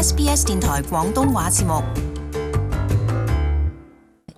SBS 電台廣東話節目。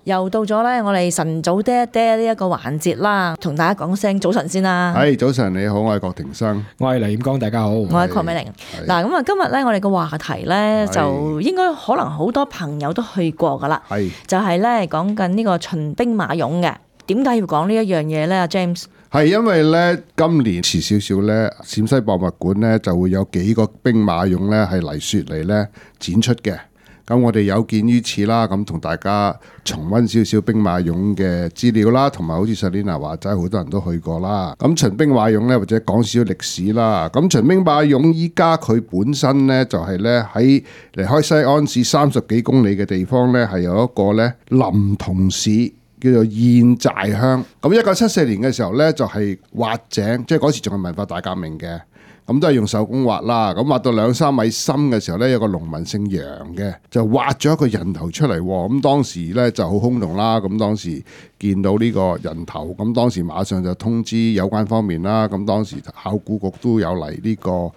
又到咗咧，我哋晨早爹爹呢一個環節啦，同大家講聲早晨先啦。係早晨，你好，我係郭庭生，我係黎彥剛，大家好。我係鄺美玲。嗱，咁啊，今日咧，我哋個話題咧，就應該可能好多朋友都去過噶啦。係就係咧講緊呢個秦兵馬俑嘅。點解要講呢一樣嘢咧？阿 James 係因為咧今年遲少少咧，陝西博物館咧就會有幾個兵馬俑咧係嚟雪梨咧展出嘅。咁我哋有見於此啦，咁同大家重溫少少兵馬俑嘅資料啦，同埋好似 Selina 話齋，好多人都去過啦。咁秦兵馬俑咧，或者講少少歷史啦。咁秦兵馬俑依家佢本身咧就係咧喺離開西安市30幾公里嘅地方咧，係有一個咧臨潼市叫做堰寨鄉。咁1974年嘅時候咧，就係挖井，即係嗰時仲係文化大革命嘅。咁都係用手工挖啦，咁挖到2-3米深嘅時候呢，有個農民姓楊嘅就挖咗一個人頭出嚟，咁當時呢就好轟動啦。咁當時見到呢個人頭，咁當時馬上就通知有關方面啦。咁當時考古局都有嚟呢個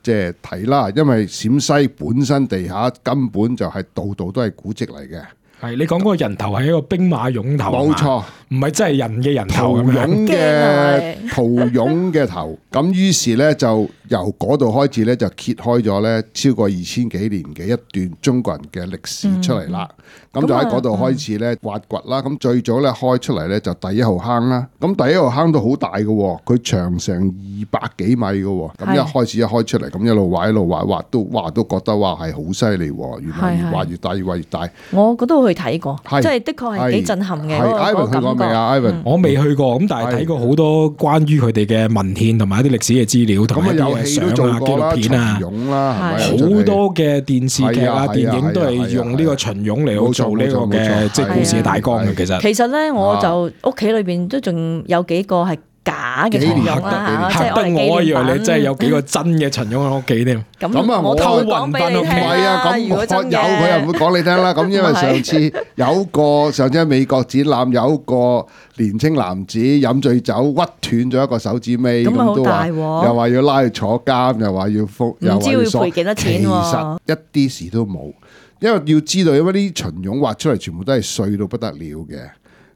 即係睇啦，因為陝西本身地下根本就係度度都係古蹟嚟嘅。係你講嗰個人頭係一個兵馬俑頭，冇錯，唔係真係人嘅人頭咁樣。陶俑嘅頭，咁於是咧就由嗰度開始咧就揭開咗咧超過2000幾年嘅一段中國人嘅歷史出嚟啦。咁就喺嗰度開始咧挖掘啦。咁最早咧開出嚟咧就第一號坑啦。咁第一號坑都好大嘅，佢長成200幾米嘅。咁一開始一開出嚟，咁一路挖一路挖，挖都覺得話係好犀利。原來越挖越大，越挖越大。我覺得去睇過，即係的確係幾震撼嘅。Ivan 去過未啊？Ivan 我未去過，咁但係睇過好多關於佢哋嘅文獻同埋一啲歷史嘅資料，同埋一啲相啊、紀錄片啊，好多嘅電視劇啊、電影都係用呢個秦俑嚟做呢個嘅即係故事嘅大綱嘅。其實咧，我就屋企裏邊都仲有幾個係假嘅秦俑啦，嚇得我以為你真係有幾個真嘅秦俑喺屋企添。咁啊，我偷運翻屋企。唔係啊，咁有佢又唔會講你聽啦。咁因為上次喺美國展覽，有一個年青男子飲醉酒屈斷咗一個手指尾，咁都話又話要拉去坐監，又話要覆，唔知會賠幾多錢喎？其實一啲事都冇，因為要知道，因為啲秦俑挖出嚟全部都係碎到不得了嘅。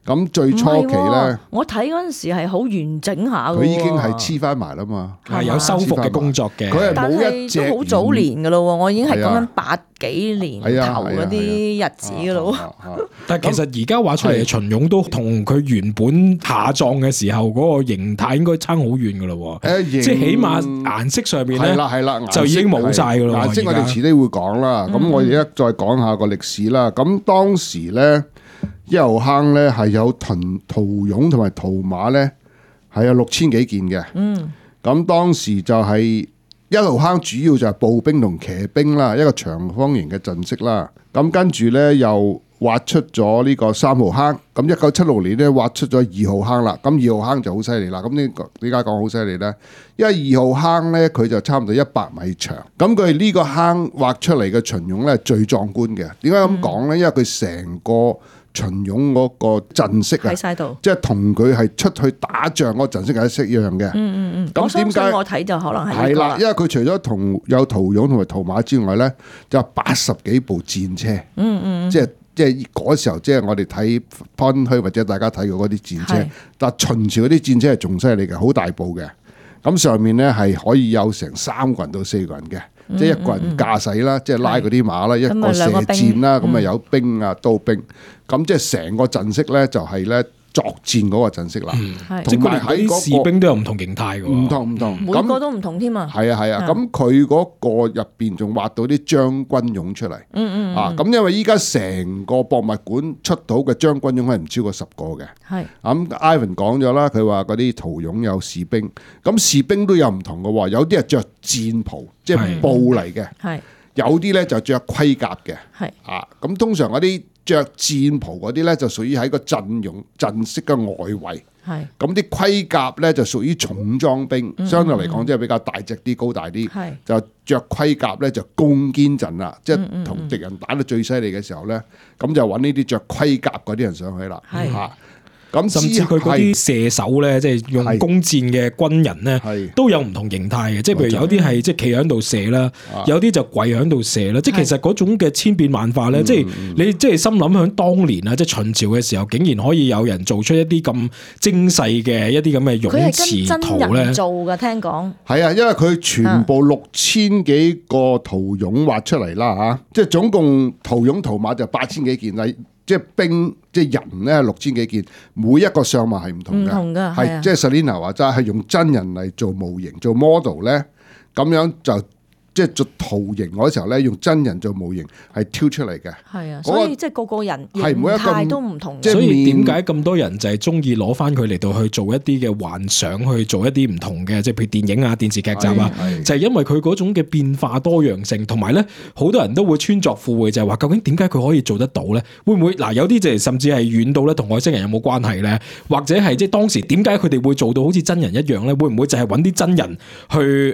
咁最初期咧，我睇嗰陣時係好完整下嘅，佢已經係黐翻埋啦嘛，係有修復嘅工作嘅。佢係冇一隻，都好早年嘅咯，我已經係講緊80幾年頭嗰啲日子嘅咯。但係其實而家畫出嚟嘅秦俑都同佢原本下葬嘅時候嗰個形態應該差好遠嘅咯。即係起碼顏色上面咧，係啦，就已經冇晒嘅咯。顏色我哋遲啲會講啦。咁我而家再講下個歷史啦。咁當時咧，一號坑咧係有陶俑同埋陶馬咧係有6000幾件嘅。咁當時就係一號坑主要就係步兵同騎兵啦，一個長方形嘅陣式啦。咁跟住咧又挖出咗呢個3號坑。咁1976年咧挖出咗2號坑啦。咁2號坑就好犀利啦。咁呢個點解講好犀利咧？因為2號坑咧佢就差唔多100米長。咁佢呢個坑挖出嚟嘅秦俑咧最壯觀嘅。點解咁講咧？因為佢成個秦俑嗰個陣式啊，即係同佢係出去打仗嗰個陣式係一樣嘅。咁點解我睇就可能係啦？因為佢除咗有陶俑同埋陶馬之外咧，就有80幾部戰車。即係嗰時候，即係我哋睇番區或者大家睇過嗰啲戰車，但係秦朝嗰啲戰車係仲犀利嘅，好大部嘅。咁上面咧係可以有成3個人到4個人嘅。即係一個人駕駛啦，即係拉嗰啲馬啦，一個射箭啦，咁啊有兵啊刀兵，咁即係成個陣式咧就係咧作戰嗰個陣式啦。同埋喺士兵都有唔同形態嘅，唔同，每個都唔同添啊。係啊，咁佢嗰個入邊仲挖到啲將軍俑出嚟。咁因為依家成個博物館出到嘅將軍俑係唔超過10個嘅。咁 Ivan 講咗啦，佢話嗰啲陶俑有士兵，咁士兵都有唔同嘅喎，有啲係着戰袍，即係布嚟嘅，有啲咧就着盔甲嘅。咁通常嗰啲着戰袍嗰啲咧就屬於喺個陣式嘅外圍。咁啲盔甲咧就屬於重裝兵，相對嚟講即係比較大隻啲、高大啲，就着盔甲咧就攻堅陣啦，即係同敵人打到最犀利嘅時候咧，咁就揾呢啲着盔甲嗰啲人上去啦。咁甚至佢嗰啲射手咧，即係用弓箭嘅軍人咧，都有唔同形態嘅。即係譬如有啲係即係企喺度射啦，有啲就跪喺度射啦。即係其實嗰種嘅千變萬化咧，即係你即係心諗響當年啊，即係秦朝嘅時候，竟然可以有人做出一啲咁精細嘅一啲咁嘅泳池圖咧，做嘅聽講係啊，因為佢全部6000幾個圖俑畫出嚟啦嚇，即係總共圖俑圖馬就8000幾件啦，即係兵即係人咧6000幾件，每一個相貌係唔同嘅，係即係 Selina 話齋係用真人嚟做模型做 model 咧，咁樣就。即係做圖形嗰時候咧，用真人做模型係挑出嚟嘅。係啊，所以即係個人形態都唔同。所以點解咁多人就係中意攞翻佢嚟到去做一啲嘅幻想，去做一啲唔同嘅，即係譬如電影啊、電視劇集啊，就係因為佢嗰種嘅變化多樣性，同埋咧好多人都會穿鑿附會，就係話究竟點解佢可以做得到咧？會唔會嗱有啲就係甚至係遠到咧同外星人有冇關係咧？或者係即係當時點解佢哋會做到好似真人一樣咧？會唔會就係揾啲真人去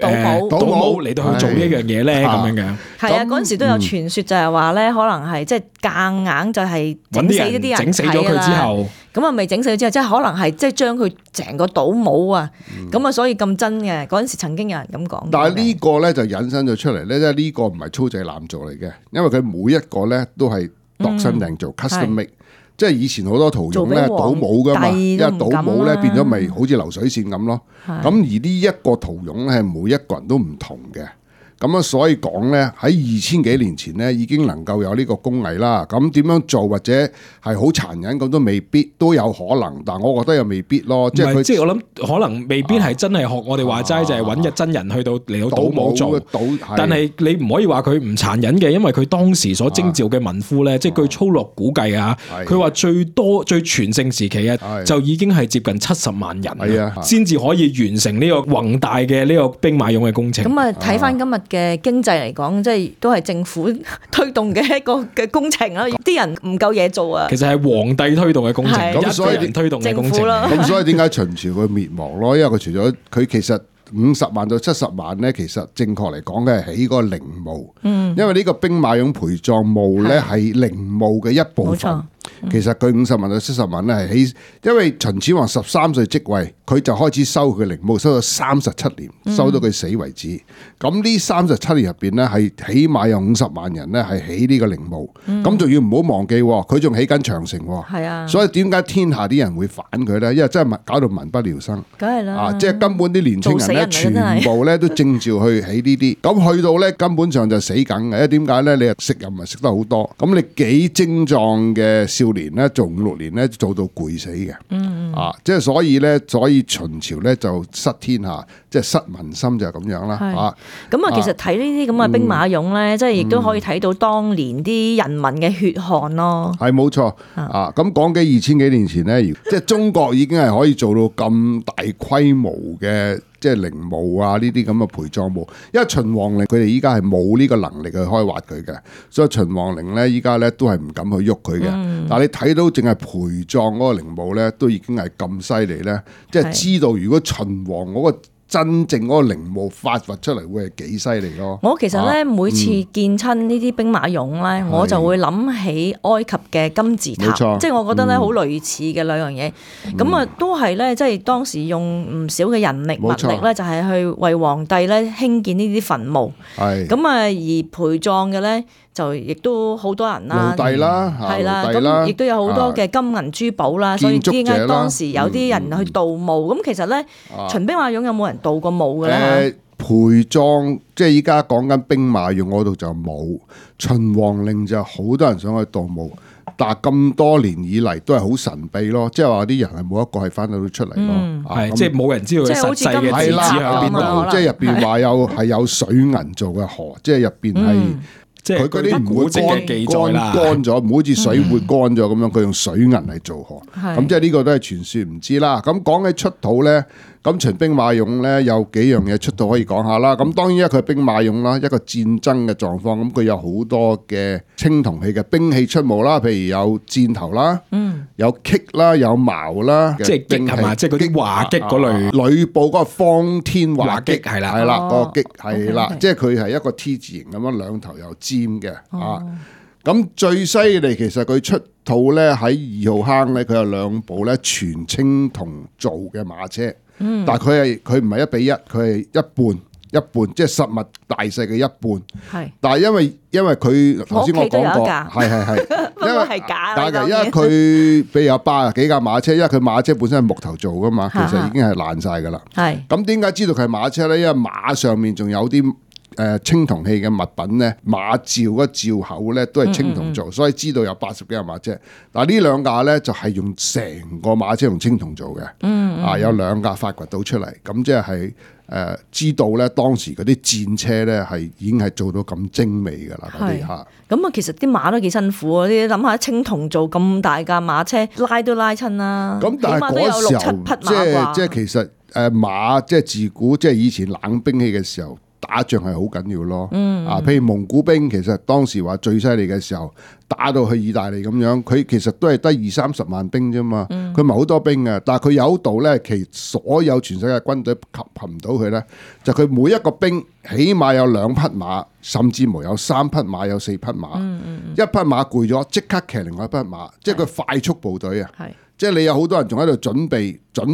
倒模嚟到去做呢樣嘢咧？咁樣嘅係啊，嗰陣時都有傳說就係話咧，可能係即係夾硬就係整死一啲人，整死咗佢之後，咁啊未整死咗之後，即係可能係即係將佢成個倒模啊，咁啊所以咁真嘅。嗰陣時曾經有人咁講。但係呢個咧就引申咗出嚟咧，即係呢個唔係粗製濫造嚟嘅，因為佢每一個咧都係度身訂做 custom make。即係以前好多圖形咧倒模噶嘛，因為倒模咧變咗咪好似流水線咁咯。咁而呢一個圖形咧係每一個人都唔同嘅。咁啊，所以講咧喺2000幾年前咧已經能夠有呢個工藝啦。咁點樣做或者係好殘忍咁都未必，都有可能。但我覺得又未必咯。即係佢，即係我諗可能未必係真係學我哋話齋，就係揾日真人去到嚟到倒模做。但係你唔可以話佢唔殘忍嘅，因為佢當時所徵召嘅民夫咧，即係據粗略估計啊，佢話最多最全盛時期啊，就已經係接近70萬人，先至可以完成呢個宏大嘅呢個兵馬俑嘅工程。咁啊，睇翻今日嘅經濟嚟講，即係都係政府推動嘅一個嘅工程啦。啲人唔夠嘢做啊。其實係皇帝推動嘅工程，咁所以推動嘅工程。咁所以點解秦朝佢滅亡咯？因為佢除咗佢其實50萬到70萬咧，其實正確嚟講嘅係起個陵墓。因為呢個兵馬俑陪葬墓咧係陵墓嘅一部分。其實佢50萬到70萬咧係起，因為秦始皇13歲即位，佢就開始收佢陵墓，收咗37年，收到佢死為止。咁呢37年入邊咧，係起碼有50萬人咧係起呢個陵墓。咁仲要唔好忘記，佢仲起緊長城。係啊，所以點解天下啲人會反佢咧？因為真係搞到民不聊生。梗係啦，即係根本啲年青人咧，全部咧都正照去起呢啲。咁去到咧，根本上就死梗嘅。因為點解咧？你又食又唔係食得好多。咁你幾精壯嘅少年咧，做5-6年咧，做到攰死嘅。即係所以咧，所以秦朝咧就失天下，即係失民心就係咁樣啦。咁啊，其實睇呢啲咁嘅兵馬俑咧，即係亦都可以睇到當年啲人民嘅血汗咯。係冇錯。咁講幾2000幾年前咧，即係中國已經係可以做到咁大規模嘅。即係陵墓啊，呢啲咁嘅陪葬墓，因為秦皇陵佢哋依家係冇呢個能力去開挖佢嘅，所以秦皇陵咧依家咧都係唔敢去喐佢嘅。但係你睇到淨係陪葬嗰個陵墓咧，都已經係咁犀利咧，即係知道如果秦皇嗰個真正嗰個陵墓發掘出嚟會係幾犀利咯。我其實咧每次見親呢啲兵馬俑咧，我就會諗起埃及嘅金字塔，即係我覺得咧好類似嘅兩樣嘢。咁啊都係咧，即係當時用唔少嘅人力物力咧，就係去為皇帝咧興建呢啲墳墓。咁啊而陪葬嘅咧，就亦都好多人啦，奴隸啦，係啦，咁亦都有好多嘅金銀珠寶啦，所以點解當時有啲人去盜墓？咁其實咧，秦兵馬俑有冇人盜過墓嘅咧？陪葬即係依家講緊兵馬俑嗰度就冇，秦皇陵就好多人想去盜墓，但係咁多年以嚟都係好神秘咯，即係話啲人係冇一個係翻到出嚟咯，即係冇人知道佢實際嘅地址喺邊度，即係入邊話有水銀做嘅河，即係入邊係。即係佢啲古蹟嘅記載啦，乾咗，唔好似水會乾咗咁樣，佢用水銀嚟做河，咁即係呢個都係傳說，唔知啦。咁講起出土咧，咁秦兵馬俑咧有幾樣嘢出土可以講下啦。咁當然一個係兵馬俑啦，一個戰爭嘅狀況，咁佢有好多嘅青銅器嘅兵器出墓啦，譬如有箭頭啦，有戟啦，有矛啦，即係戟係嘛，即係嗰啲華戟嗰類，呂布嗰個方天畫戟係啦，係啦，個戟係啦，即係佢係一個 T 字形咁樣，兩頭有尖嘅咁最犀利其實佢出套咧喺2號坑咧，佢有2部咧全青銅做嘅馬車，但係佢唔係1比1，佢係一半，即係實物大細嘅一半。係，但係因為佢頭先我講過，係，因為係假嘅，因為佢比如有80幾架馬車，因為佢馬車本身係木頭做噶嘛，其實已經係爛晒噶啦。係，咁點解知道佢係馬車咧？因為馬上面仲有啲青銅器嘅物品咧，馬罩嗰罩口咧都係青銅做，所以知道有80幾架馬車。但係呢2架咧就係用成個馬車用青銅做嘅，有2架發掘到出嚟，咁即係知道咧當時嗰啲戰車咧係已經係做到咁精美㗎啦，嗰啲嚇。咁其實啲馬都幾辛苦啊！你諗下青銅做咁大架馬車，拉都拉親啦。咁但係嗰時候即係其實馬即係自古即係以前冷兵器嘅時候。打仗係好緊要咯，譬如蒙古兵其實當時話最犀利嘅時候，打到去意大利咁樣，佢其實都係得20-30萬兵啫嘛，佢唔係好多兵嘅，但係佢有道咧，其所有全世界軍隊及唔到佢咧，就佢每一個兵起碼有2匹馬，甚至乎有3匹馬，有4匹馬，一匹馬攰咗即刻騎另外一匹馬，即係佢快速部隊啊。即係你有好多人仲喺度準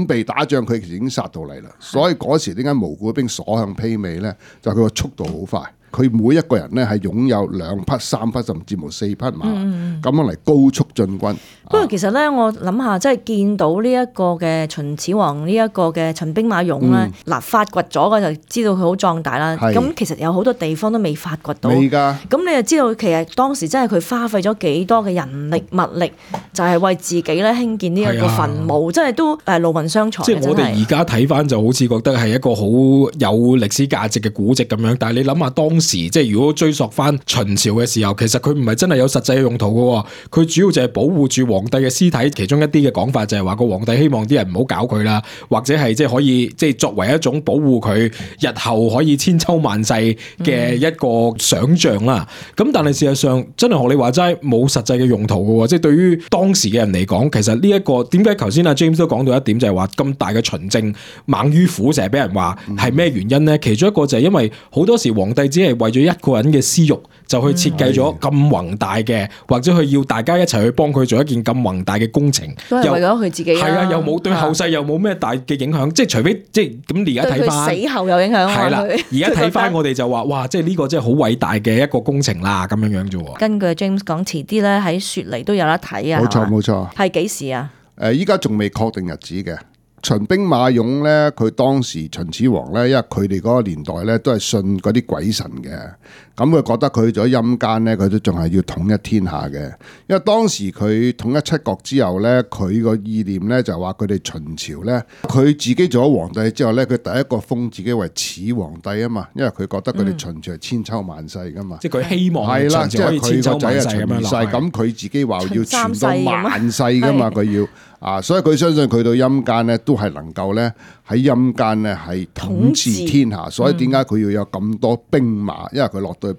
備打仗，佢其實已經殺到嚟啦。所以嗰時點解蒙古兵所向披靡咧？就係佢個速度好快。佢每一個人咧係擁有2匹、3匹，甚至乎4匹馬，咁樣嚟高速進軍。不過其實咧，我諗下，即係見到呢一個嘅秦始皇呢一個嘅秦兵馬俑咧，嗱發掘咗嘅就知道佢好壯大啦。咁其實有好多地方都未發掘到。未㗎。咁你就知道其實當時真係佢花費咗幾多嘅人力物力，就係為自己咧興建呢一個墳墓，真係都勞民傷財。即係我哋而家睇翻就好似覺得係一個好有歷史價值嘅古蹟咁樣，但係你諗下當時即係如果追溯翻秦朝嘅時候，其實佢唔係真係有實際嘅用途嘅，佢主要就係保護住皇帝嘅屍體。其中一啲嘅講法就係話個皇帝希望啲人唔好搞佢啦，或者係即係可以即係作為一種保護佢日後可以千秋萬世嘅一個想像啦。咁但係事實上真係學你話齋冇實際嘅用途嘅，即係對於當時嘅人嚟講，其實呢一個點解頭先阿 James 都講到一點就係話咁大嘅秦政猛於虎，成日俾人話係咩原因呢？其中一個就係因為好多時皇帝只係為咗一個人嘅私欲，就去設計咗咁宏大嘅，或者佢要大家一齊去幫佢做一件咁宏大嘅工程，都係為咗佢自己。係啊，又冇對後世又冇咩大嘅影響，即係除非即係咁而家睇翻，死後有影響。係啦，而家睇翻我哋就話哇，即係呢個真係好偉大嘅一個工程啦，咁樣樣啫。根據 James 講，遲啲咧喺雪梨都有得睇啊。冇錯。係幾時啊？依家仲未確定日子嘅。秦兵馬俑咧，佢當時秦始皇咧，因為佢哋嗰個年代咧都係信嗰啲鬼神嘅，咁佢覺得佢去咗陰間咧，佢都仲係要統一天下嘅。因為當時佢統一7國之後咧，佢個意念咧就話佢哋秦朝咧，佢自己做咗皇帝之後咧，佢第一個封自己為始皇帝啊嘛，因為佢覺得佢哋秦朝係千秋萬世噶嘛，即係佢希望係啦，即係佢個仔係秦二世，咁佢自己話要傳到萬世噶嘛，佢要。所以佢相信佢到陰間咧，都係能夠咧喺陰間咧係統治天下。所以點解佢要有咁多兵馬？因為佢落到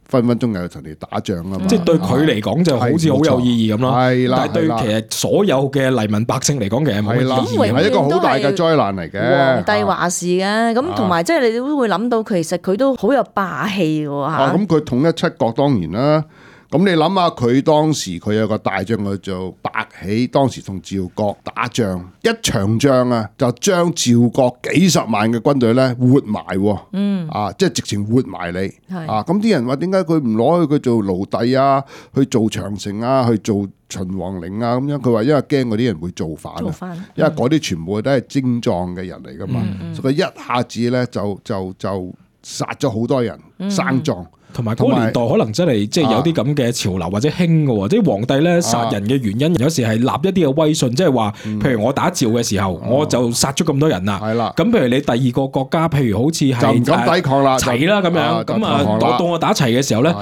分分鐘又同你打仗啊嘛。即係對佢嚟講就好似好有意義咁咯。係啦，但係對其實所有嘅黎民百姓嚟講，其實冇意義，係一個好大嘅災難嚟嘅。皇帝話事嘅，咁同埋即係你都會諗到，其實佢都好有霸氣喎嚇。咁佢統一7國當然啦。咁你諗下，佢當時佢有個大將叫做白起，當時同趙國打仗，一場仗啊，就將趙國幾十萬嘅軍隊咧活埋，即係直情活埋你。咁啲人話點解佢唔攞去佢做奴隸啊，去做長城啊，去做秦王陵啊咁樣？佢話因為驚嗰啲人會造反，因為嗰啲全部都係精壯嘅人嚟噶嘛，所以佢一下子咧就殺咗好多人，生壯。同埋嗰個年代可能真係即係有啲咁嘅潮流或者興嘅喎，即係皇帝咧殺人嘅原因，有時係立一啲嘅威信，即係話，譬如我打趙嘅時候，我就殺咗咁多人啦。係啦，咁譬如你第二個國家，譬如好似係就唔敢抵抗啦，齊啦咁樣，咁啊到我打齊嘅時候咧，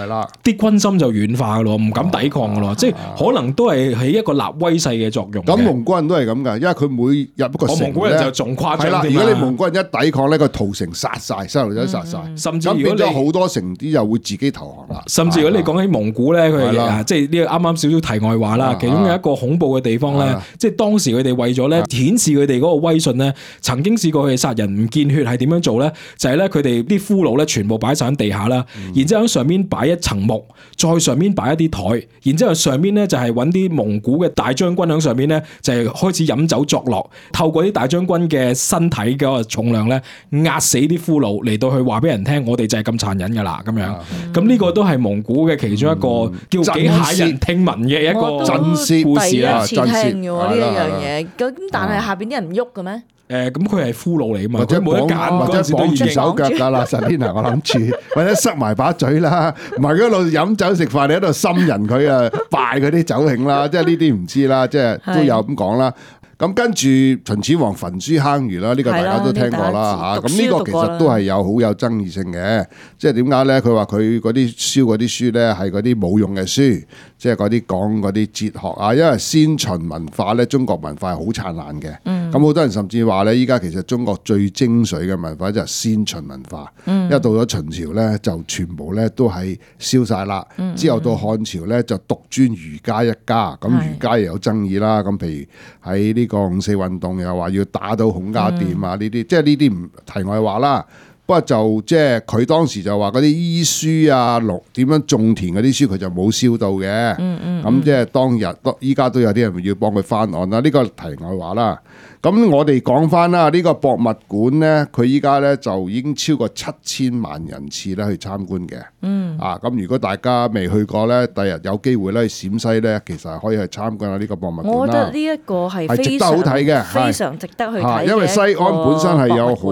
啲軍心就軟化嘅咯，唔敢抵抗嘅咯，即係可能都係起一個立威勢嘅作用。咁蒙古人都係咁㗎，因為佢每入一個城咧，蒙古人就仲誇張。係啦，如果你蒙古人一抵抗咧，個屠城殺晒，細路仔殺晒，甚至如果你好多城啲又會自己投降啦。甚至如果你講起蒙古咧，佢即係呢個啱啱少少題外話啦。其中有一個恐怖嘅地方咧，即係當時佢哋為咗咧顯示佢哋嗰個威信咧，曾經試過佢哋殺人唔見血係點樣做咧？就係咧佢哋啲俘虜咧全部擺晒喺地下啦，然之後喺上面擺一層木，再上面擺一啲台，然之後上面咧就係揾啲蒙古嘅大將軍喺上面咧就係開始飲酒作樂，透過啲大將軍嘅身體嘅重量咧壓死啲俘虜嚟到去話俾人聽，我哋就係咁殘忍噶啦咁樣。咁呢個都係蒙古嘅其中一個叫幾駭人聽聞嘅一個真事故事啊！第一次聽嘅喎呢一樣嘢，咁但係下邊啲人唔喐嘅咩？咁佢係俘虜嚟嘛，或者冇得揀，或者綁住手腳㗎啦，實天啊！我諗住或者塞埋把嘴啦，唔係嗰度飲酒食飯，你喺度滲人佢啊，敗嗰啲酒興啦，即係呢啲唔知啦，即係都有咁講啦。咁跟住秦始皇焚書坑儒啦，呢個大家都聽過啦嚇。咁呢個其實都係有好有爭議性嘅，即係點解咧？佢話佢嗰啲燒嗰啲書咧係嗰啲冇用嘅書，即係嗰啲講嗰啲哲學啊。因為先秦文化咧，中國文化係好燦爛嘅。咁好多人甚至話咧，依家其實中國最精髓嘅文化就係先秦文化。一到咗秦朝咧，就全部咧都係燒晒啦。之後到漢朝咧，就獨尊儒家一家。咁儒家又有爭議啦。咁譬如喺呢個五四運動又話要打到孔家店啊，呢啲即係呢啲唔題外話啦。不過就即係佢當時就話嗰啲醫書啊、點樣種田嗰啲書佢就冇燒到嘅。咁即係當日依家都有啲人要幫佢翻案啦。呢個題外話啦。咁我哋講翻啦，呢個博物館咧，佢依家咧就已經超過7000萬人次咧去參觀嘅。咁如果大家未去過咧，第日有機會咧去陝西咧，其實係可以去參觀下呢個博物館啦。我覺得呢一個係值得好睇嘅，非常值得去睇嘅。因為西安本身係有好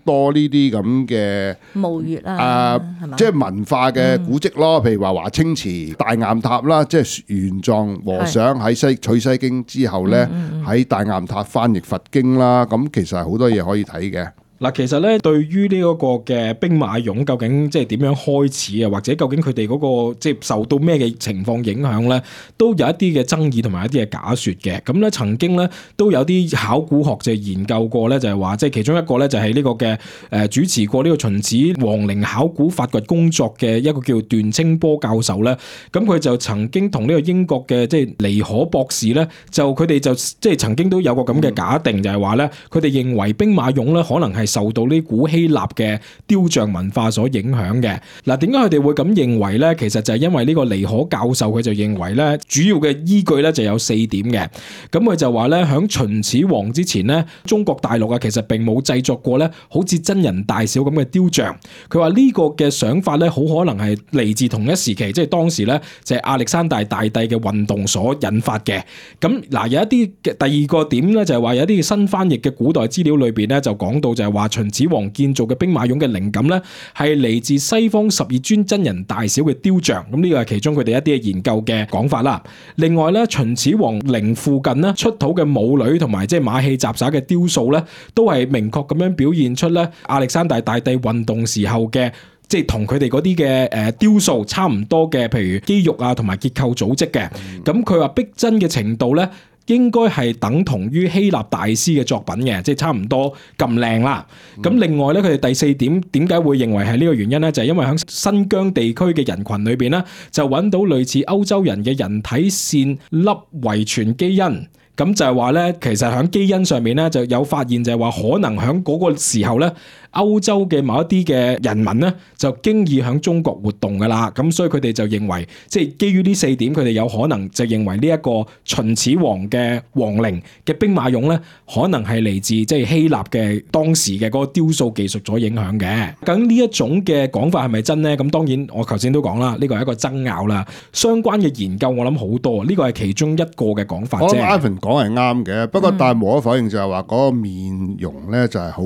多呢啲咁嘅墓穴啦，即係文化嘅古蹟咯。譬如話華清池、大雁塔啦，即係玄奘和尚喺取西經之後咧，喺大雁塔翻譯佛經啦，咁其實係好多嘢可以睇嘅。嗱，其實咧，對於呢一個嘅兵馬俑究竟即係點樣開始啊，或者究竟佢哋嗰個即係受到咩嘅情況影響咧，都有一啲嘅爭議同埋一啲嘅假説嘅。咁咧曾經咧都有啲考古學者研究過咧，就係話即係其中一個咧就係呢個嘅主持過呢個秦始皇陵考古發掘工作嘅一個叫段清波教授咧。咁佢就曾經同呢個英國嘅即係尼可博士咧，就佢哋就即係曾經都有個咁嘅假定，就係話咧佢哋認為兵馬俑咧可能係受到呢古希臘嘅雕像文化所影響嘅。嗱，點解佢哋會咁認為咧？其實就係因為呢個尼可教授佢就認為咧，主要嘅依據咧就有4點嘅。咁佢就話咧，響秦始皇之前咧，中國大陸啊其實並冇製作過咧好似真人大小咁嘅雕像。佢話呢個嘅想法咧，好可能係嚟自同一時期，即係當時咧就係亞歷山大大帝嘅運動所引發嘅。咁嗱，有一啲嘅第二個點咧，就係話有一啲新翻譯嘅古代資料裏邊咧，就講到就係話秦始皇建造嘅兵馬俑嘅靈感咧，係嚟自西方12尊真人大小嘅雕像。咁呢個係其中佢哋一啲嘅研究嘅講法啦。另外咧，秦始皇陵附近咧出土嘅舞女同埋即係馬戲雜耍嘅雕塑咧，都係明確咁樣表現出咧亞歷山大大帝運動時候嘅，即係同佢哋嗰啲嘅雕塑差唔多嘅，譬如肌肉啊同埋結構組織嘅。咁佢話逼真嘅程度咧，應該係等同於希臘大師嘅作品嘅，即係差唔多咁靚啦。咁另外咧，佢哋第4點點解會認為係呢個原因咧？就係因為喺新疆地區嘅人群裏邊咧，就揾到類似歐洲人嘅人體線粒遺傳基因。咁就係話咧，其實喺基因上面咧就有發現，就係話可能喺嗰個時候咧，歐洲嘅某一啲嘅人民咧就經已喺中國活動噶啦。咁所以佢哋就認為，即係基於呢4點，佢哋有可能就認為呢一個秦始皇嘅皇陵嘅兵馬俑咧，可能係嚟自即係希臘嘅當時嘅嗰個雕塑技術所影響嘅。咁呢一種嘅講法係咪真咧？咁當然我頭先都講啦，呢個係一個爭拗啦。相關嘅研究我諗好多，呢個係其中一個嘅講法啫。講係啱嘅，不過但係無可否認就係話嗰個面容咧就係好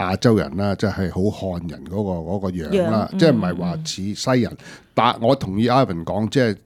亞洲人啦，即係好漢人嗰個樣啦，即係唔係話似西人。但我同意 Ivan 講，即係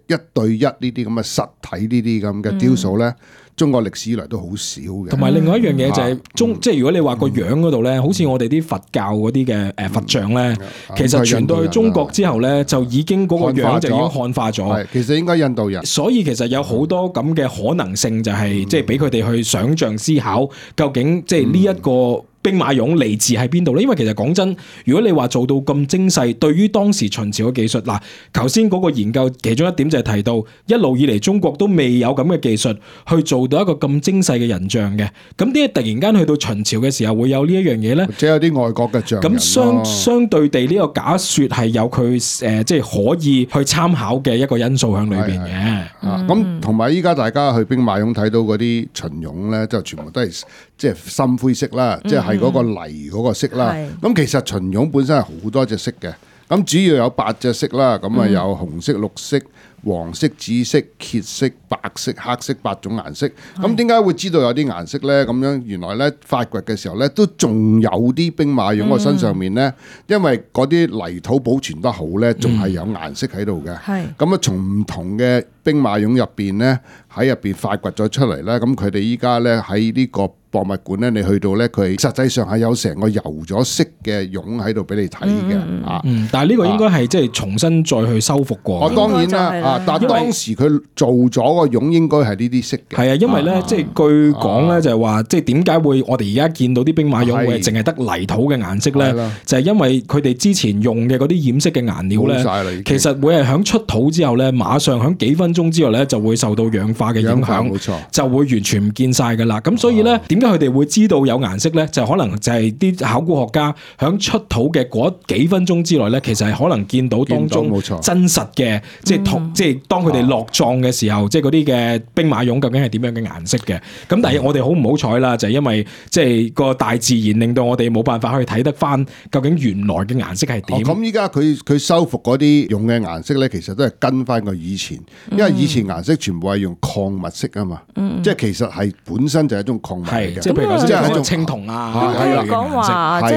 1對1呢啲咁嘅實體呢啲咁嘅雕塑咧，中國歷史以來都好少嘅。同埋另外一樣嘢就係即係如果你話個樣嗰度咧，好似我哋啲佛教嗰啲嘅佛像咧，其實傳到去中國之後咧，就已經嗰個樣就已經漢化咗。其實應該印度人。所以其實有好多咁嘅可能性，就係即係俾佢哋去想像思考，究竟即係呢一個兵馬俑嚟自喺邊度咧？因為其實講真，如果你話做到咁精細，對於當時秦朝嘅技術，嗱，頭先嗰個研究其中一點就係提到，一路以嚟中國都未有咁嘅技術去做到一個咁精細嘅人像嘅。咁點解突然間去到秦朝嘅時候會有呢一樣嘢咧？即係有啲外國嘅像人咯。咁相對地，呢個假説係有佢即係可以去參考嘅一個因素喺裏邊嘅。咁同埋依家大家去兵馬俑睇到嗰啲秦俑咧，就全部都係即係深灰色啦，即係嗰個泥嗰個色啦。咁其實秦俑本身係好多隻色嘅，咁主要有8隻色啦，咁啊有紅色、綠色、黃色、紫色、褐色、白色、黑色8種顏色。咁點解會知道有啲顏色呢？咁樣原來呢，發掘嘅時候呢，都仲有啲兵馬俑個身上面呢，因為嗰啲泥土保存得好呢，仲係有顏色喺度嘅。咁啊，從唔同嘅兵馬俑入邊呢，喺入邊發掘咗出嚟呢。咁佢哋依家呢，喺呢個博物館咧，你去到咧，佢實際上係有成個油咗色嘅俑喺度俾你睇嘅。但係呢個應該係即係重新再去修復過。當然啦，但係當時佢做咗個俑應該係呢啲色嘅。係啊，因為咧，即係據講咧，就係話，即係點解會我哋而家見到啲兵馬俑會淨係得泥土嘅顏色咧？就係因為佢哋之前用嘅嗰啲染色嘅顏料咧，其實會係響出土之後咧，馬上響幾分鐘之後咧，就會受到氧化嘅影響，冇錯，就會完全唔見晒噶啦。咁所以咧，點解佢哋會知道有顏色咧？就可能就係啲考古學家響出土嘅嗰幾分鐘之內咧，其實係可能見到當中真實嘅，即係當佢哋落葬嘅時候，即係嗰啲嘅兵馬俑究竟係點樣嘅顏色嘅？咁但係我哋好唔好彩啦，就係因為即係個大自然令到我哋冇辦法去睇得翻究竟原來嘅顏色係點。咁依家佢修復嗰啲用嘅顏色咧，其實都係跟翻個以前，因為以前顏色全部係用礦物色啊嘛，即係其實係本身就係一種礦物嚟嘅。即係一種青銅啊！咁講話即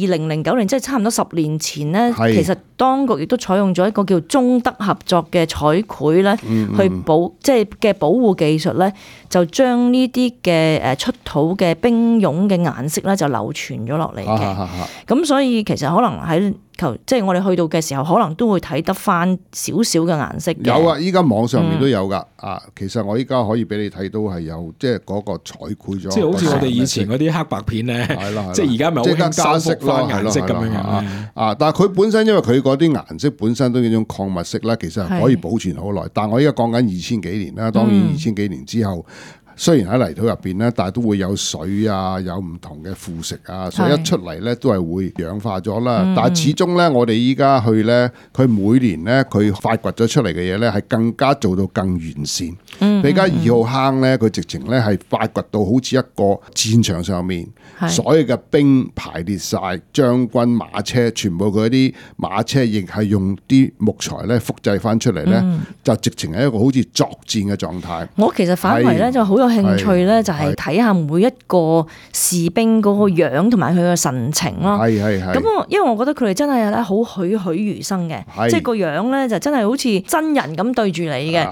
係2009年，即係差唔多10年前咧，其實當局亦都採用咗一個叫中德合作嘅彩繪咧，去即係嘅保護技術咧，就將呢啲嘅出土嘅兵俑嘅顏色咧，就流傳咗落嚟嘅。咁所以其實可能喺即係我哋去到嘅時候，可能都會睇得翻少少嘅顏色嘅。有啊，依家網上面都有噶。其實我依家可以俾你睇到係有，即係嗰個彩繪咗。即係好似我哋以前嗰啲黑白片咧，即係而家咪好興加色咯，顏色咁樣。但係佢本身因為佢嗰啲顏色本身都係一種礦物色啦，其實係可以保存好耐。但係我依家講緊2000幾年啦，當然2000幾年之後。雖然喺泥土入邊咧，但係都會有水啊，有唔同嘅腐蝕啊，所以一出嚟咧都係會氧化咗啦。但係始終咧，我哋依家去咧，佢每年咧佢發掘咗出嚟嘅嘢咧，係更加做到更完善。比加2號坑咧，佢直情咧係發掘到好似一個戰場上面，所有嘅兵排列晒，將軍馬車全部佢啲馬車亦係用啲木材咧複製翻出嚟咧，就直情係一個好似作戰嘅狀態。我其實反為咧就好有興趣咧，就係睇下每一個士兵嗰個樣同埋佢嘅神情咯。咁因為我覺得佢哋真係咧好栩栩如生嘅，即係個樣咧就真係好似真人咁對住你嘅。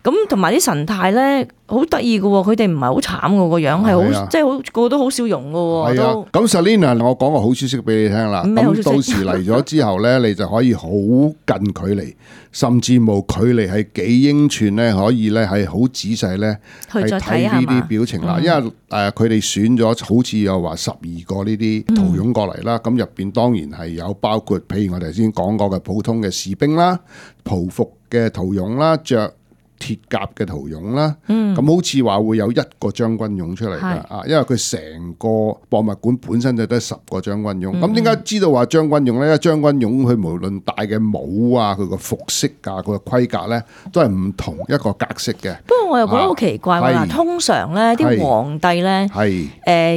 咁同埋啲神態咧好得意嘅喎，佢哋唔係好慘嘅個樣，係好即係好個個都好笑容嘅喎。都咁 Selina， 我講個好消息俾你聽啦。咁到時嚟咗之後咧，你就可以好近距離，甚至冇距離係幾英寸咧，可以咧係好仔細咧係睇呢啲表情啦。因為佢哋選咗好似又話12個呢啲陶俑過嚟啦，咁入邊當然係有包括譬如我哋頭先講過嘅普通嘅士兵啦、袍服嘅陶俑啦、着鐵甲嘅陶俑啦，咁好似話會有1個將軍俑出嚟㗎，因為佢成個博物館本身就得10個將軍俑。咁點解知道話將軍俑咧？因為將軍俑佢無論戴嘅帽啊、佢個服飾啊、佢個盔甲咧，都係唔同一個格式嘅。不過我又覺得好奇怪喎，通常咧啲皇帝咧，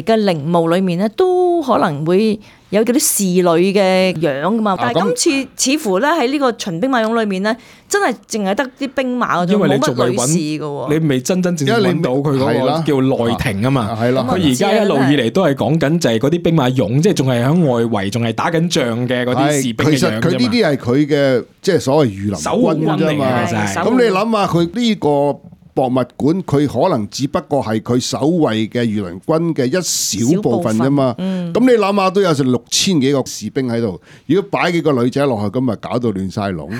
嘅陵墓裏面咧都可能會有嗰啲侍女嘅樣㗎嘛，但係今次似乎咧喺呢個秦兵馬俑裏面咧，真係淨係得啲兵馬嗰種，冇乜女士㗎喎。你未真真正正揾到佢嗰個叫內廷啊嘛。佢而家一路以嚟都係講緊就係嗰啲兵馬俑，即係仲係喺外圍，仲係打緊仗嘅嗰啲士兵嘅樣啫嘛。其實佢呢啲係佢嘅即係所謂御林軍啫嘛。咁你諗下佢呢個博物館佢可能只不過係佢守衛嘅御林軍嘅一小部分啫嘛。咁你諗下都有成6000幾個士兵喺度，如果擺幾個女仔落去，咁咪搞到亂晒龍。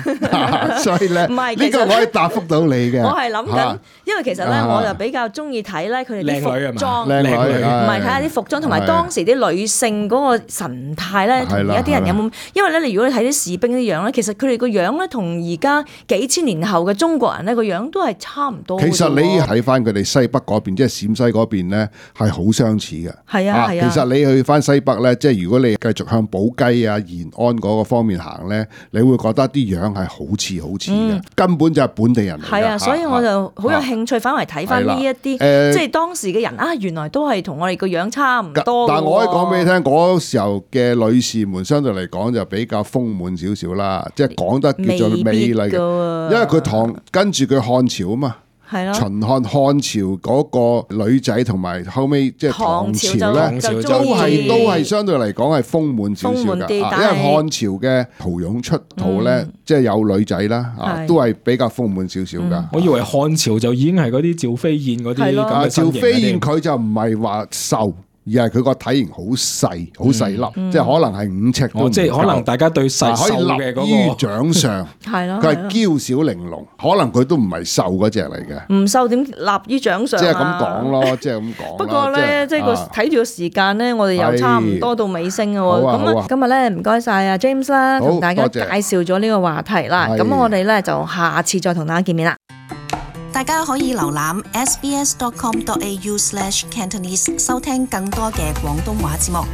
所以咧，呢個我可以答覆到你嘅。我係諗緊，因為其實咧，我就比較中意睇咧佢哋啲服裝，靚女，唔係睇下啲服裝同埋當時啲女性嗰個神態咧，同而家啲人有冇？因為咧，你如果你睇啲士兵啲樣咧，其實佢哋個樣咧，同而家幾千年後嘅中國人咧個樣都係差唔多。其實你睇翻佢哋西北嗰邊，即係陝西嗰邊咧，係好相似嘅。係啊，其實你去翻西北咧，即係如果你繼續向寶雞啊、延安嗰個方面行咧，你會覺得啲樣係好似嘅，根本就係本地人嚟嘅。係啊，所以我就好有興趣，反為睇翻呢一啲，即係當時嘅人啊，原來都係同我哋個樣差唔多。但係我可以講俾你聽，嗰時候嘅女士們相對嚟講就比較豐滿少少啦，即係講得叫做美麗嘅，因為佢跟住佢漢朝啊嘛。秦漢朝嗰個女仔同埋後尾即係唐朝咧，都係相對嚟講係豐滿少少㗎，因為漢朝嘅陶俑出土咧，即係有女仔啦，都係比較豐滿少少㗎。我以為漢朝就已經係嗰啲趙飛燕嗰啲咁嘅身形。趙飛燕佢就唔係話瘦。而係佢個體型好細，好細粒，即係可能係5尺都唔夠。即係可能大家對細瘦嘅嗰個，可以立於掌上。係咯，佢係嬌小玲瓏，可能佢都唔係瘦嗰隻嚟嘅。唔瘦點立於掌上？即係咁講咯，即係咁講。不過咧，即係睇住個時間咧，我哋又差唔多到尾聲嘅喎。咁今日咧唔該晒阿 James 啦，同大家介紹咗呢個話題啦。咁我哋咧就下次再同大家見面啦。大家可以瀏覽 sbs.com.au/Cantonese 收聽更多嘅廣東話節目。